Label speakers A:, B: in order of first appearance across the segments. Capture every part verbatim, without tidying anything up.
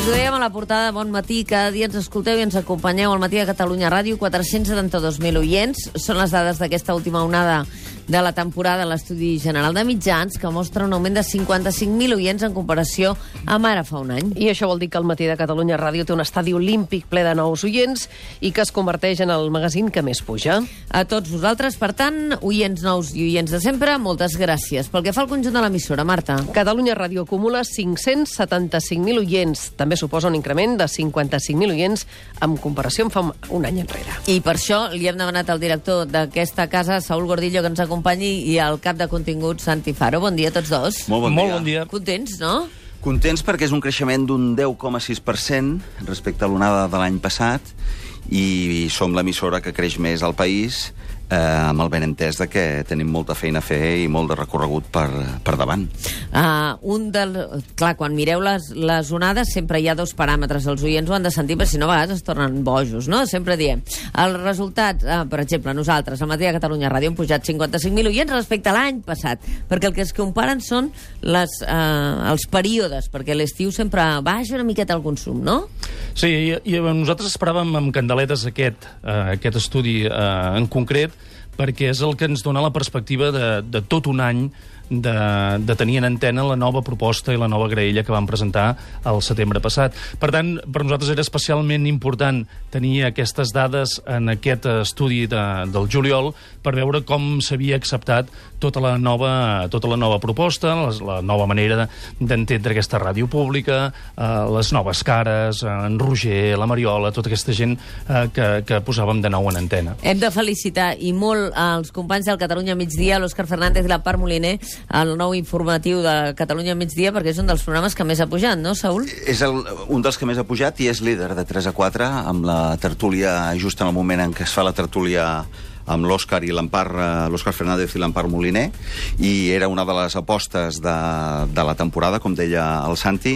A: Us ho dèiem a la portada de Bon Matí, cada dia ens escolteu i ens acompanyeu al Matí de Catalunya Ràdio, quatre-cents setanta-dos mil oients. Són les dades d'aquesta última onada de la temporada a l'Estudi General de Mitjans, que mostra un augment de cinquanta-cinc mil oients en comparació amb ara fa un any.
B: I això vol dir que el Matí de Catalunya Ràdio té un estadi olímpic ple de nous oients i que es converteix en el magazín que més puja.
A: A tots vosaltres, per tant, oients nous i oients de sempre, moltes gràcies. Pel que fa al conjunt de l'emissora, Marta.
B: Catalunya Ràdio acumula cinc-cents setanta-cinc mil oients. També suposa un increment de cinquanta-cinc mil oients en comparació amb fa un any enrere.
A: I per això li hem demanat al director d'aquesta casa, Saúl Gordillo, que ens acompanyi, i al cap de contingut, Santi Faro. Bon dia a tots dos.
C: Molt bon dia.
D: Molt bon dia.
A: Contents, no?
C: Contents perquè és un creixement d'un deu coma sis per cent respecte a l'onada de l'any passat i som l'emissora que creix més al país, eh, amb el benentès de que tenim molta feina a fer i molt de recorregut per, per davant.
A: Uh, un del... Clar, quan mireu les, les onades sempre hi ha dos paràmetres. Els oients ho han de sentir, però si no a vegades es tornen bojos, no? Sempre diem. El resultat, uh, per exemple, nosaltres, al Matí de Catalunya Ràdio, hem pujat cinquanta-cinc mil oients respecte a l'any passat, perquè el que es comparen són les, uh, els períodes, perquè a l'estiu sempre baixa una miqueta el consum, no?
D: Sí, i, i nosaltres esperàvem amb candeletes aquest, uh, aquest estudi uh, en concret, perquè és el que ens dona la perspectiva de, de tot un any de, de tenir en antena la nova proposta i la nova graella que vam presentar al setembre passat. Per tant, per nosaltres era especialment important tenir aquestes dades en aquest estudi de, del juliol per veure com s'havia acceptat tota la nova, tota la nova proposta, les, la nova manera d'entendre aquesta ràdio pública, eh, les noves cares, en Roger, la Mariola, tota aquesta gent eh, que, que posàvem de nou en antena.
A: Hem de felicitar i molt als companys del Catalunya Migdia, l'Òscar Fernández i la Par Moliner, el nou informatiu de Catalunya Migdia, perquè és un dels programes que més ha pujat, no, Saúl?
C: És el, un dels que més ha pujat i és líder de tres a quatre, amb la tertúlia, just en el moment en què es fa la tertúlia amb l'Òscar i l'Empar, l'Òscar Fernández i l'Empar Moliner, i era una de les apostes de, de la temporada, com deia el Santi.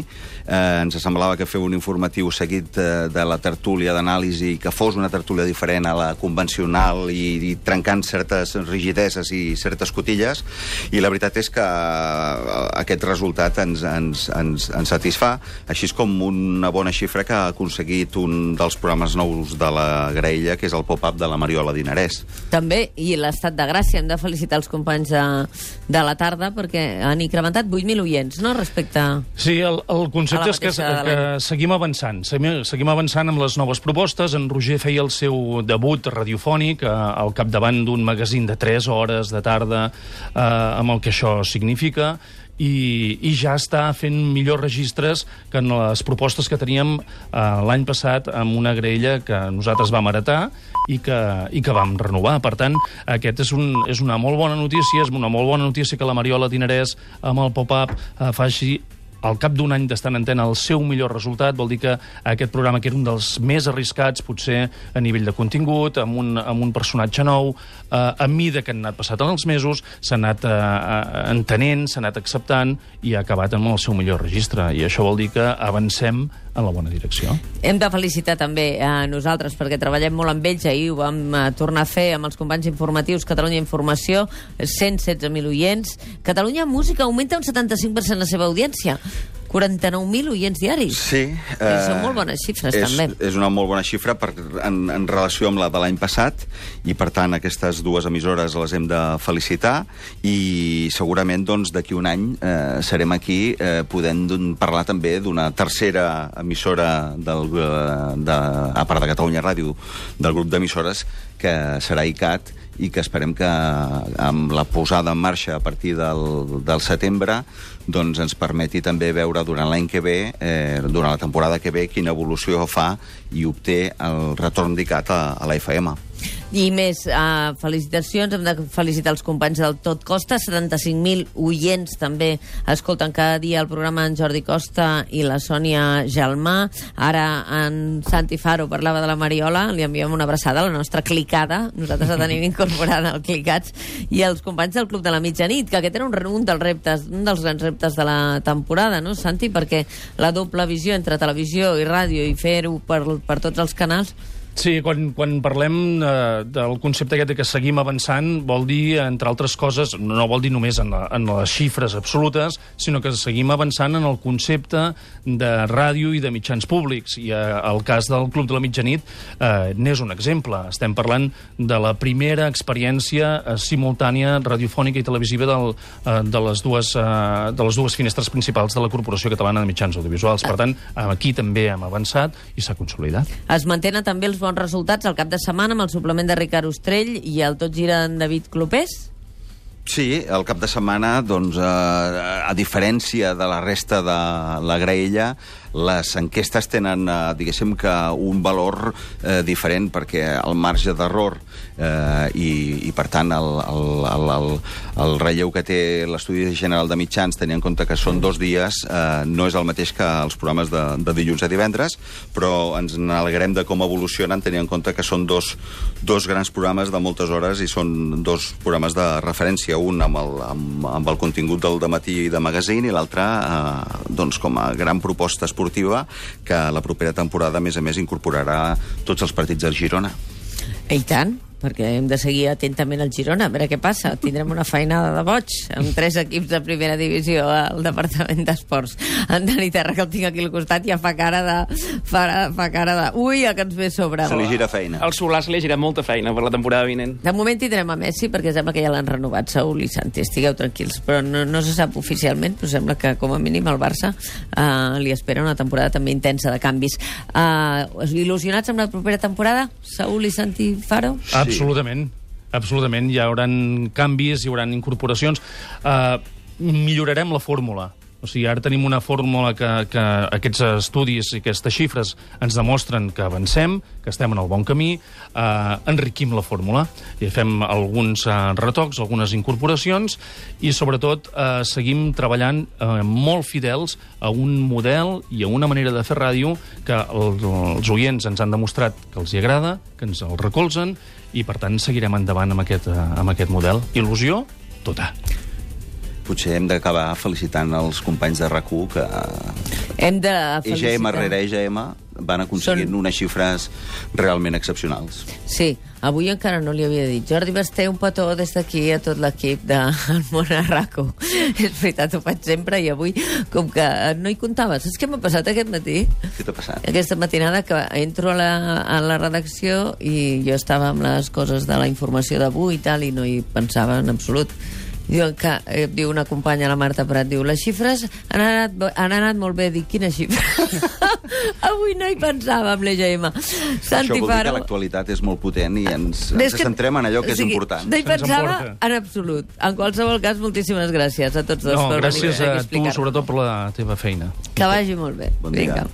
C: Eh, ens semblava que fer un informatiu seguit de, de la tertúlia d'anàlisi, que fos una tertúlia diferent a la convencional i, i trencant certes rigideses i certes cotilles, i la veritat és que aquest resultat ens, ens, ens, ens satisfà, així com una bona xifra que ha aconseguit un dels programes nous de la graella, que és el pop-up de la Mariola Dinarès.
A: També, i l'Estat de Gràcia. Hem de felicitar els companys de, de la tarda perquè han incrementat vuit mil oients, no?, respecte...
D: Sí, el, el concepte és que, que seguim avançant. Seguim, seguim avançant amb les noves propostes. En Roger feia el seu debut radiofònic eh, al capdavant d'un magazín de tres hores de tarda, eh, amb el que això significa, i, i ja està fent millors registres que en les propostes que teníem eh, l'any passat amb una graella que nosaltres vam heretar i que, i que vam renovar. Per tant, aquest és, un, és una molt bona notícia, és una molt bona notícia que la Mariola Dinarès amb el pop-up eh, faci al cap d'un any d'estar en antena el seu millor resultat. Vol dir que aquest programa, que era un dels més arriscats, potser a nivell de contingut, amb un, amb un personatge nou, eh, a mida que han anat passat en els mesos, s'ha anat eh, entenent, s'ha anat acceptant i ha acabat amb el seu millor registre. I això vol dir que avancem en la bona direcció.
A: Hem de felicitar també a nosaltres, perquè treballem molt amb ells. Ahir ho vam uh, tornar a fer amb els companys informatius Catalunya Informació, cent setze mil oients. Catalunya Música augmenta un setanta-cinc per cent la seva audiència. quaranta-nou mil oients diaris.
C: Sí.
A: Eh, són molt bones xifres,
C: és,
A: també.
C: És una molt bona xifra per, en, en relació amb la de l'any passat, i per tant aquestes dues emissores les hem de felicitar, i segurament doncs d'aquí un any eh, serem aquí eh, podent parlar també d'una tercera emissora del, de, a part de Catalunya Ràdio, del grup d'emissores, que serà I C A T, i que esperem que amb la posada en marxa a partir del, del setembre doncs ens permeti també veure durant l'any que ve, eh, durant la temporada que ve, quina evolució fa i obté el retorn d'I C A T a, a la F M.
A: I més, uh, felicitacions, hem de felicitar els companys del Tot Costa, setanta-cinc mil oients també escolten cada dia el programa en Jordi Costa i la Sònia Gelmà. Ara en Santi Faro parlava de la Mariola, li enviem una abraçada a la nostra clicada, nosaltres la tenim incorporada al Clicats, i els companys del Club de la Mitjanit, que aquest era un, un dels reptes, un dels grans reptes de la temporada, no, Santi? Perquè la doble visió entre televisió i ràdio i fer-ho per, per tots els canals
D: Sí, quan, quan parlem eh, del concepte aquest de que seguim avançant, vol dir, entre altres coses, no vol dir només en, la, en les xifres absolutes, sinó que seguim avançant en el concepte de ràdio i de mitjans públics. I eh, el cas del Club de la Mitjanit eh, n'és un exemple. Estem parlant de la primera experiència eh, simultània radiofònica i televisiva del, eh, de, les dues, eh, de les dues finestres principals de la Corporació Catalana de Mitjans Audiovisuals. Per tant, aquí també hem avançat i s'ha consolidat.
A: Es mantenen també els bons resultats al cap de setmana amb el suplement de Ricard Ostrell i el Tot gira en David Clopés?
C: Sí, el cap de setmana, doncs, eh, a diferència de la resta de la graella, les enquestes tenen, eh, diguéssim, que un valor eh, diferent, perquè el marge d'error eh, i, i, per tant, el, el, el, el, el relleu que té l'Estudi General de Mitjans, tenint en compte que són dos dies, eh, no és el mateix que els programes de, de dilluns a divendres, però ens n'alegrem de com evolucionen, tenint en compte que són dos, dos grans programes de moltes hores i són dos programes de referència, un amb el, amb, amb el contingut del dematí i de magazine i l'altre eh, doncs, com a gran proposta esportiva que la propera temporada, a més a més, incorporarà tots els partits del Girona.
A: I tant, perquè hem de seguir atentament el Girona, a veure què passa. Tindrem una feinada de boig amb tres equips de primera divisió al Departament d'Esports. En Dani Terra, que el tinc aquí al costat, ja fa cara de... fa, fa cara de... Ui, el que ens ve a sobre.
C: Se li gira feina.
E: El Solà se li ha girat molta feina per la temporada vinent.
A: De moment tindrem a Messi, perquè sembla que ja l'han renovat, Saúl i Santi, estigueu tranquils. Però no, no se sap oficialment, però sembla que com a mínim el Barça uh, li espera una temporada també intensa de canvis. Uh, il·lusionats amb la propera temporada, Saúl i Santi Faro?
D: Sí. Absolutament. Absolutament. Hi haurà canvis, hi haurà incorporacions. Uh, millorarem la fórmula. O sigui, ara tenim una fórmula que, que aquests estudis i aquestes xifres ens demostren que avancem, que estem en el bon camí, eh, enriquim la fórmula i fem alguns eh, retocs, algunes incorporacions i, sobretot, eh, seguim treballant eh, molt fidels a un model i a una manera de fer ràdio que el, els oients ens han demostrat que els hi agrada, que ens el recolzen i, per tant, seguirem endavant amb aquest, eh, amb aquest model. Il·lusió, tota.
C: Potser hem d'acabar felicitant els companys de R A C U que
A: hem de felicitar.
C: E G M rere E G M van aconseguint Són... unes xifres realment excepcionals.
A: Sí, avui encara no li havia dit. Jordi Basté, un petó des d'aquí a tot l'equip del món a R A C U. És veritat, ho faig sempre i avui, com que no hi comptava. Saps què m'ha passat aquest matí?
C: Què t'ha passat?
A: Aquesta matinada que entro a la, a la redacció i jo estava amb les coses de la informació d'avui i tal i no hi pensava en absolut. Diu, que, eh, diu una companya, la Marta Prat, diu, les xifres han anat, han anat molt bé. Dic, quina xifra? Avui no hi pensava amb l'E G M.
C: Això vol dir que l'actualitat és molt potent i ens, ens que, centrem en allò que és o sigui, important.
A: No hi pensava en absolut. En qualsevol cas, moltíssimes gràcies a tots dos.
D: No, gràcies a tu, sobretot, per la teva feina.
A: Que vagi molt bé.
C: Bon dia. Vinga.